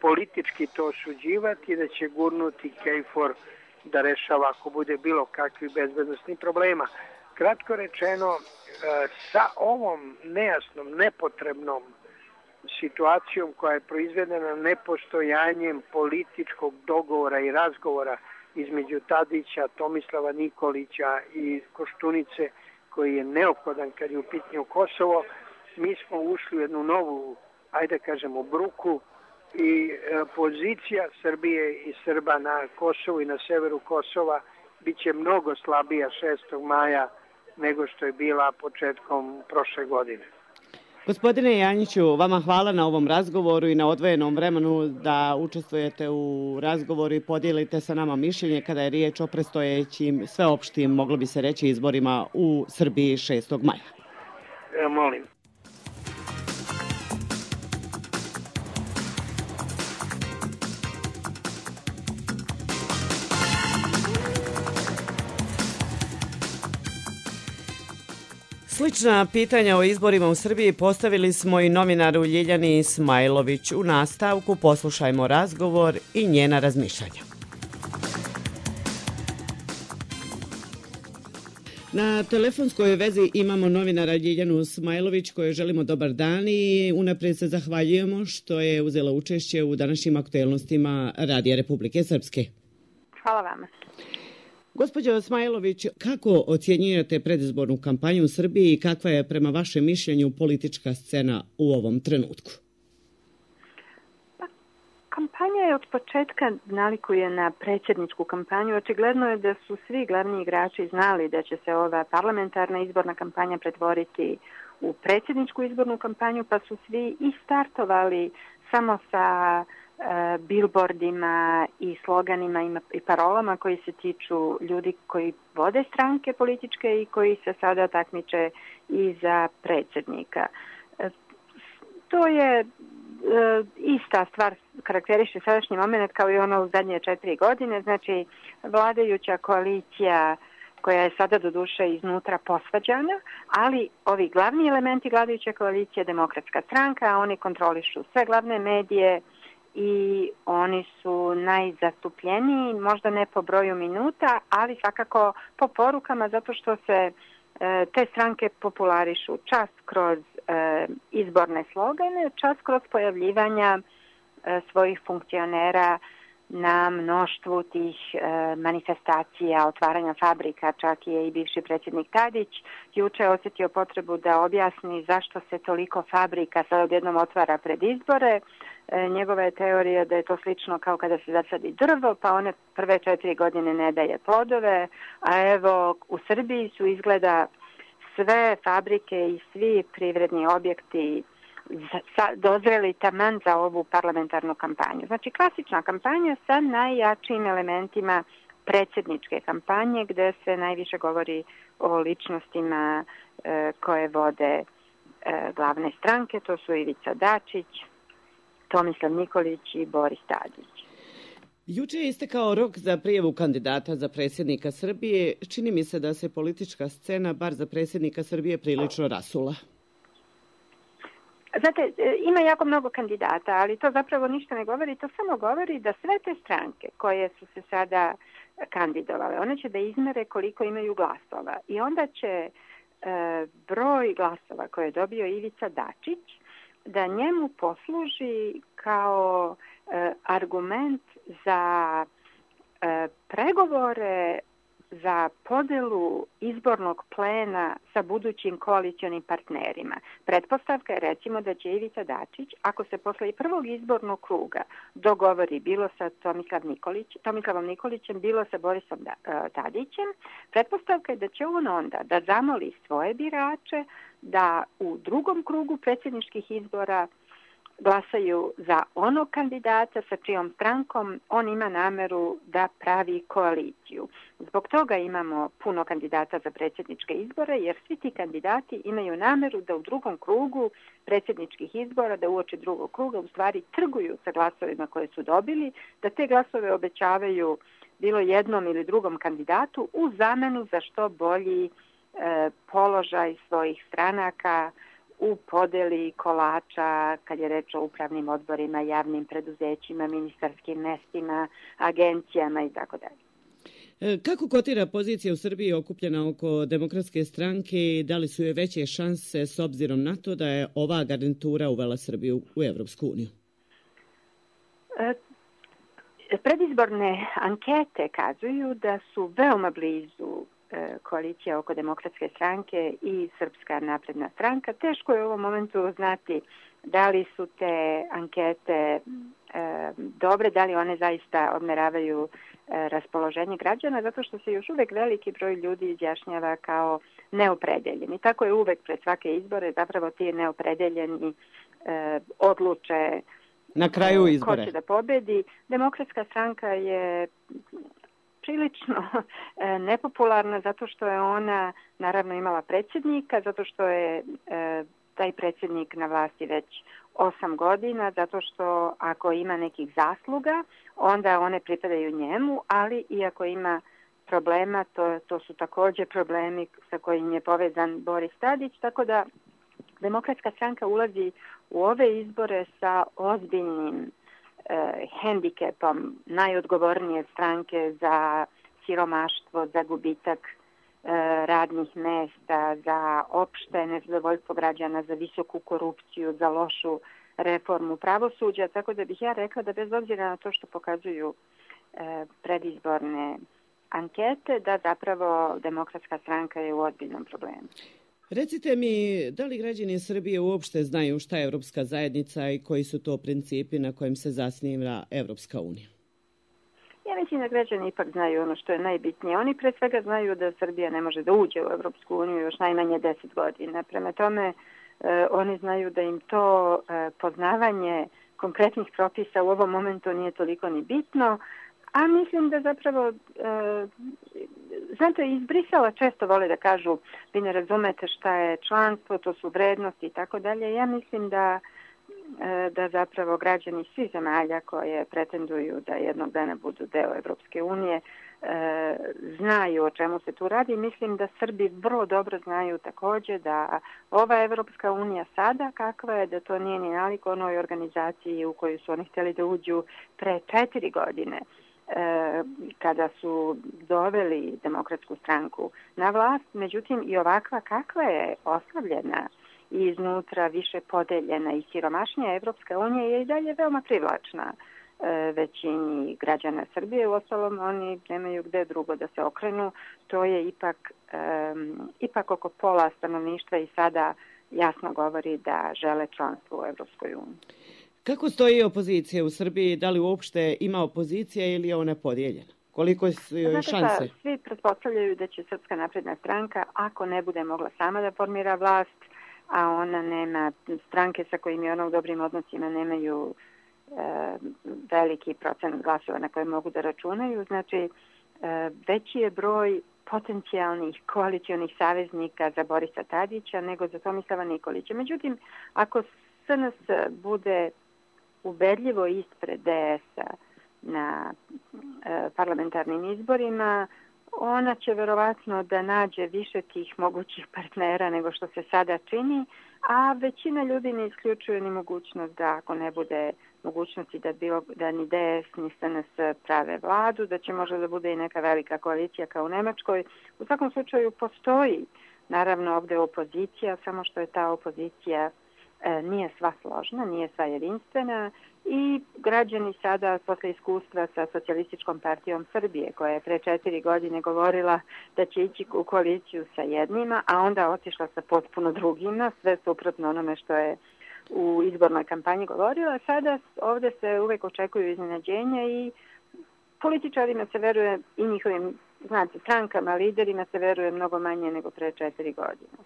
politički to osuđivati i da će gurnuti Kejfor da rešava ako bude bilo kakvih bezbednostnih problema. Kratko rečeno, sa ovom nejasnom, nepotrebnom situacijom koja je proizvedena nepostojanjem političkog dogovora i razgovora između Tadića, Tomislava Nikolića i Koštunice, koji je neophodan kad je u pitanju Kosovo, mi smo ušli u jednu novu, ajde kažemo, bruku i e, pozicija Srbije i Srba na Kosovu i na severu Kosova bit će mnogo slabija šestog maja nego što je bila početkom prošle godine. Gospodine Janjiću, vama hvala na ovom razgovoru i na odvojenom vremenu da učestvujete u razgovoru i podijelite sa nama mišljenje kada je riječ o predstojećim sveopštim, moglo bi se reći, izborima u Srbiji šestog maja. E, molim. Slična pitanja o izborima u Srbiji postavili smo i novinaru Ljiljani Ismajlović. U nastavku poslušajmo razgovor i njena razmišljanja. Na telefonskoj vezi imamo novinara Ljiljanu Smajlović kojoj želimo dobar dan i unaprijed se zahvaljujemo što je uzela učešće u današnjim aktuelnostima Radija Republike Srpske. Hvala vama. Gospođo Smajlović, kako ocjenjujete predizbornu kampanju u Srbiji i kakva je prema vašem mišljenju politička scena u ovom trenutku? Pa, kampanja je od početka nalikuje na predsjedničku kampanju. Očigledno je da su svi glavni igrači znali da će se ova parlamentarna izborna kampanja pretvoriti u predsjedničku izbornu kampanju, pa su svi i startovali samo sa billboardima i sloganima i parolama koji se tiču ljudi koji vode stranke političke i koji se sada takmiče i za predsjednika. To je ista stvar, karakteriše sadašnji moment kao i ono u zadnje četiri godine. Znači, vladajuća koalicija koja je sada doduše iznutra posvađana, ali ovi glavni elementi vladajuće koalicije, Demokratska stranka, oni kontrolišu sve glavne medije, i oni su najzastupljeniji, možda ne po broju minuta, ali svakako po porukama, zato što se e, te stranke popularišu čas kroz e, izborne slogane, čas kroz pojavljivanja e, svojih funkcionera na mnoštvu tih e, manifestacija, otvaranja fabrika. Čak je i bivši predsjednik Tadić juče osjetio potrebu da objasni zašto se toliko fabrika sad odjednom otvara pred izbore. E, njegova je teorija da je to slično kao kada se zasadi drvo, pa one prve četiri godine ne daje plodove, a evo u Srbiji su izgleda sve fabrike i svi privredni objekti dozreli taman za ovu parlamentarnu kampanju. Znači klasična kampanja sa najjačim elementima predsjedničke kampanje gdje se najviše govori o ličnostima e, koje vode e, glavne stranke, to su Ivica Dačić, Tomislav Nikolić i Boris Tadić. Juče je istekao rok za prijavu kandidata za predsjednika Srbije. Čini mi se da se politička scena, bar za predsjednika Srbije, prilično rasula. Znate, ima jako mnogo kandidata, ali to zapravo ništa ne govori. To samo govori da sve te stranke koje su se sada kandidovale, one će da izmere koliko imaju glasova. I onda će e, broj glasova koje je dobio Ivica Dačić da njemu posluži kao e, argument za e, pregovore za podelu izbornog plena sa budućim koalicionim partnerima. Pretpostavka je recimo da će Ivica Dačić, ako se posle prvog izbornog kruga dogovori bilo sa Tomislav Nikolić, Tomislavom Nikolićem, bilo sa Borisom Tadićem, pretpostavka je da će on onda da zamoli svoje birače da u drugom krugu predsjedničkih izbora glasaju za onog kandidata sa čijom strankom on ima nameru da pravi koaliciju. Zbog toga imamo puno kandidata za predsjedničke izbore, jer svi ti kandidati imaju nameru da u drugom krugu predsjedničkih izbora, da uoči drugog kruga u stvari trguju sa glasovima koje su dobili, da te glasove obećavaju bilo jednom ili drugom kandidatu u zamenu za što bolji e, položaj svojih stranaka u podeli kolača kad je reč o upravnim odborima, javnim preduzećima, ministarskim mestima, agencijama i tako dalje. Kako kotira pozicija u Srbiji okupljena oko Demokratske stranke i da li su joj veće šanse s obzirom na to da je ova garnitura uvela Srbiju u Evropsku uniju? Predizborne ankete kazuju da su veoma blizu koalicija oko Demokratske stranke i Srpska napredna stranka. Teško je u ovom momentu znati da li su te ankete e, dobre, da li one zaista odmeravaju e, raspoloženje građana, zato što se još uvek veliki broj ljudi izjašnjava kao neopredeljeni. Tako je uvek pred svake izbore, zapravo ti neopredeljeni e, odluče na kraju izbore ko će da pobedi. Demokratska stranka je prilično nepopularna zato što je ona naravno imala predsjednika, zato što je e, taj predsjednik na vlasti već osam godina, zato što ako ima nekih zasluga, onda one pripadaju njemu, ali i ako ima problema, to, to su također problemi sa kojim je povezan Boris Tadić, tako da Demokratska stranka ulazi u ove izbore sa ozbiljnim eh, hendikepom najodgovornije stranke za siromaštvo, za gubitak eh, radnih mesta, za opšte nezadovoljstvo građana, za visoku korupciju, za lošu reformu pravosuđa, tako da bih ja rekla da bez obzira na to što pokazuju eh, predizborne ankete, da zapravo Demokratska stranka je u ozbiljnom problemu. Recite mi, da li građani Srbije uopšte znaju šta je Evropska zajednica i koji su to principi na kojim se zasniva Evropska unija? Ja mislim da građani ipak znaju ono što je najbitnije. Oni pre svega znaju da Srbija ne može da uđe u Evropsku uniju još najmanje deset godina. Prema tome, eh, oni znaju da im to eh, poznavanje konkretnih propisa u ovom momentu nije toliko ni bitno, a mislim da zapravo, e, znate, iz Brisela često vole da kažu vi ne razumete šta je članstvo, to su vrednosti i tako dalje. Ja mislim da, e, da zapravo građani svih zemalja koje pretenduju da jednog dana budu deo Evropske unije e, znaju o čemu se tu radi. Mislim da Srbi vrlo dobro znaju također da ova Evropska unija sada kakva je, da to nije ni nalik onoj organizaciji u koju su oni htjeli da uđu pre četiri godine. Kada su doveli Demokratsku stranku na vlast, međutim i ovakva kakva je oslavljena i iznutra više podeljena i siromašnija Evropska unija je i dalje veoma privlačna većini građana Srbije. Uostalom, oni nemaju gde drugo da se okrenu. To je ipak, um, ipak oko pola stanovništva i sada jasno govori da žele članstvo u Evropskoj uniji. Kako stoji opozicija u Srbiji? Da li uopšte ima opozicija ili je ona podijeljena? Koliko su joj šanse? Znate, svi pretpostavljaju da će Srpska napredna stranka, ako ne bude mogla sama da formira vlast, a ona nema stranke sa kojim je ona u dobrim odnosima nemaju e, veliki procent glasova na koje mogu da računaju. Znači, e, veći je broj potencijalnih koalicionih saveznika za Borisa Tadića nego za Tomislava Nikolića. Međutim, ako S N S bude ubedljivo ispred D S-a na e, parlamentarnim izborima, ona će verovatno da nađe više tih mogućih partnera nego što se sada čini, a većina ljudi ne isključuje ni mogućnost da ako ne bude mogućnosti da, bilo, da ni D S ni S N S prave vladu, da će možda da bude i neka velika koalicija kao u Nemačkoj. U svakom slučaju postoji naravno ovdje opozicija, samo što je ta opozicija nije sva složna, nije sva jedinstvena i građani sada posle iskustva sa Socijalističkom partijom Srbije koja je pre četiri godine govorila da će ići u koaliciju sa jednima, a onda otišla sa potpuno drugima, sve suprotno onome što je u izbornoj kampanji govorila. Sada ovdje se uvek očekuju iznenađenja i političarima se veruje i njihovim, znate, strankama, liderima se veruje mnogo manje nego pre četiri godine.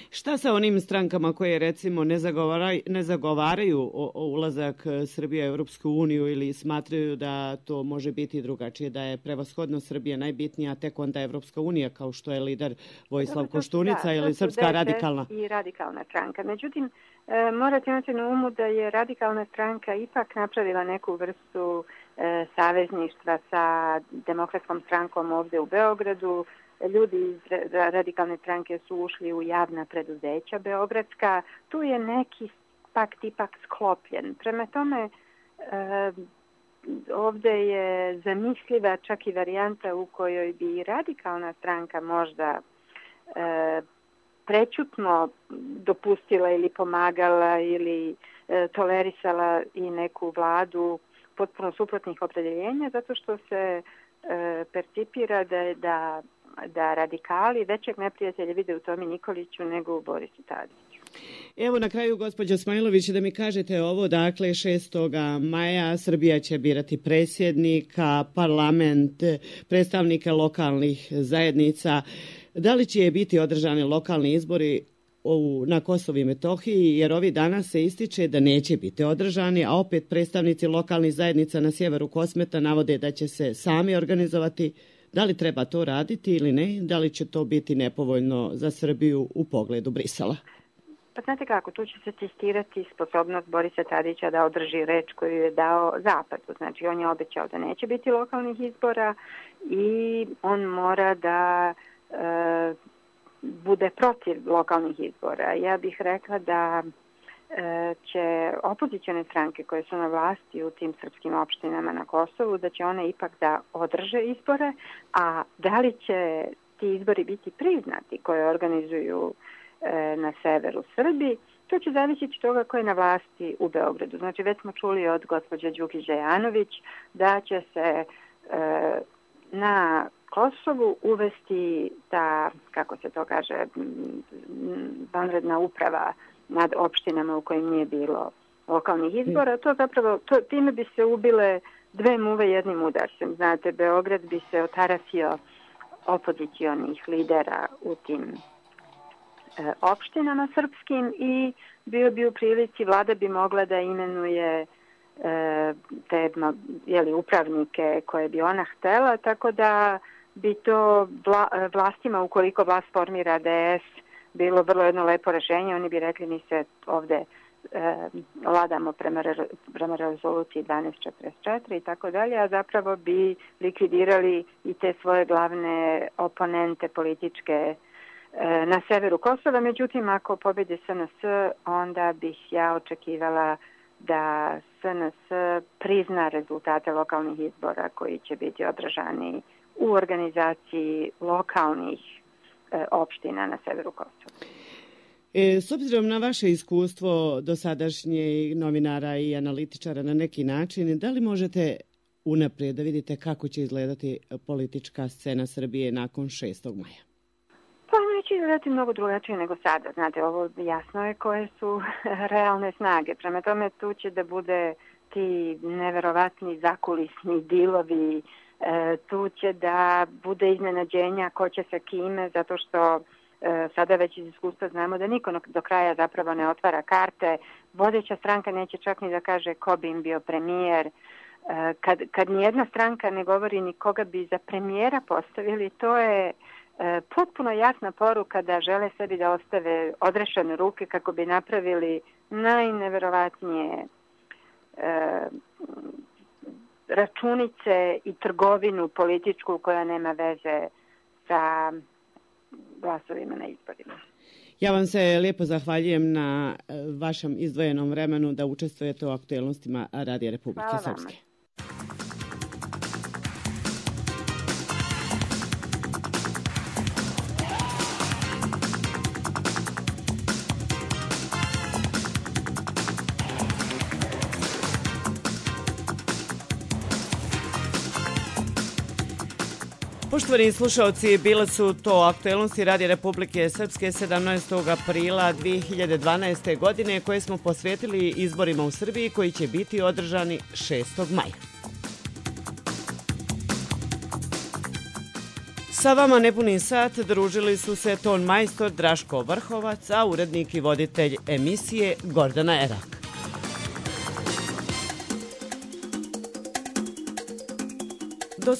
Šta sa onim strankama koje recimo ne zagovaraju, ne zagovaraju o, o ulazak Srbije u Europsku uniju ili smatraju da to može biti drugačije, da je prevashodno Srbija najbitnija, a tek onda Evropska unija, kao što je lider Vojislav Koštunica ili Srpska radikalna? I radikalna stranka. Međutim, e, morate imati na umu da je radikalna stranka ipak napravila neku vrstu e, savezništva sa demokratskom strankom ovde u Beogradu. Ljudi iz radikalne stranke su ušli u javna preduzeća beogradska. Tu je neki pakt ipak sklopljen. Prema tome, e, ovde je zamisliva čak i varijanta u kojoj bi radikalna stranka možda e, prećutno dopustila ili pomagala ili e, tolerisala i neku vladu potpuno suprotnih opredeljenja, zato što se e, percipira da je da da radikali većeg neprijatelja vide u Tomi Nikoliću nego u Borisu Tadiću. Evo na kraju, gospođo Smajlović, da mi kažete ovo, dakle šestog maja Srbija će birati predsjednika, parlament, predstavnike lokalnih zajednica. Da li će biti održani lokalni izbori na Kosovu i Metohiji, jer ovi danas se ističe da neće biti održani, a opet predstavnici lokalnih zajednica na sjeveru Kosmeta navode da će se sami organizovati. Da li treba to raditi ili ne? Da li će to biti nepovoljno za Srbiju u pogledu Brisela? Pa znate kako, tu će se testirati sposobnost Borisa Tadića da održi reč koju je dao Zapadu. Znači, on je obećao da neće biti lokalnih izbora i on mora da e, bude protiv lokalnih izbora. Ja bih rekla da će opozicione stranke koje su na vlasti u tim srpskim opštinama na Kosovu, da će one ipak da održe izbore, a da li će ti izbori biti priznati koje organizuju e, na severu Srbiji, to će zavisiti od toga ko je na vlasti u Beogradu. Znači, već smo čuli od gospođe Đukić Dejanović da će se e, na Kosovu uvesti ta, kako se to kaže, vanredna uprava nad opštinama u kojim nije bilo lokalnih izbora. To zapravo, to, time bi se ubile dve muve jednim udarcem. Znate, Beograd bi se otarasio opozicionih lidera u tim e, opštinama srpskim i bio bi u prilici, vlada bi mogla da imenuje e, te jeli, upravnike koje bi ona htela, tako da bi to vla, vlastima, ukoliko vlast formira D S, bilo vrlo jedno lepo rešenje. Oni bi rekli mi se ovde e, vladamo prema, re, prema rezoluciji dvanaest četrdeset četiri i tako dalje, a zapravo bi likvidirali i te svoje glavne oponente političke e, na severu Kosova. Međutim, ako pobedi S N S, onda bih ja očekivala da S N S prizna rezultate lokalnih izbora koji će biti održani u organizaciji lokalnih opština na severu Kosova. E, s obzirom na vaše iskustvo dosadašnje novinara i analitičara na neki način, da li možete unaprijed da vidite kako će izgledati politička scena Srbije nakon šestog maja? Pa neće izgledati mnogo drugačije nego sada. Znate, ovo jasno je koje su realne snage. Prema tome tu će da bude ti neverovatni zakulisni dilovi, E, tu će da bude iznenađenja ko će sa kime, zato što e, sada već iz iskustva znamo da niko do kraja zapravo ne otvara karte. Vodeća stranka neće čak ni da kaže ko bi im bio premijer. E, kad, kad nijedna stranka ne govori ni koga bi za premijera postavili, to je e, potpuno jasna poruka da žele sebi da ostave odrešene ruke kako bi napravili najneverovatnije e, računice i trgovinu političku koja nema veze sa glasovima na izborima. Ja vam se lijepo zahvaljujem na vašem izdvojenom vremenu da učestvujete u aktuelnostima Radija Republike Srpske. Poštovani slušalci, bile su to aktuelnosti Radija Republike Srpske sedamnaestog aprila dvije hiljade dvanaeste. godine koje smo posvetili izborima u Srbiji koji će biti održani šestog maja. Sa vama nepuni sat družili su se ton majstor Draško Vrhovac, a urednik i voditelj emisije Gordana Erak. Do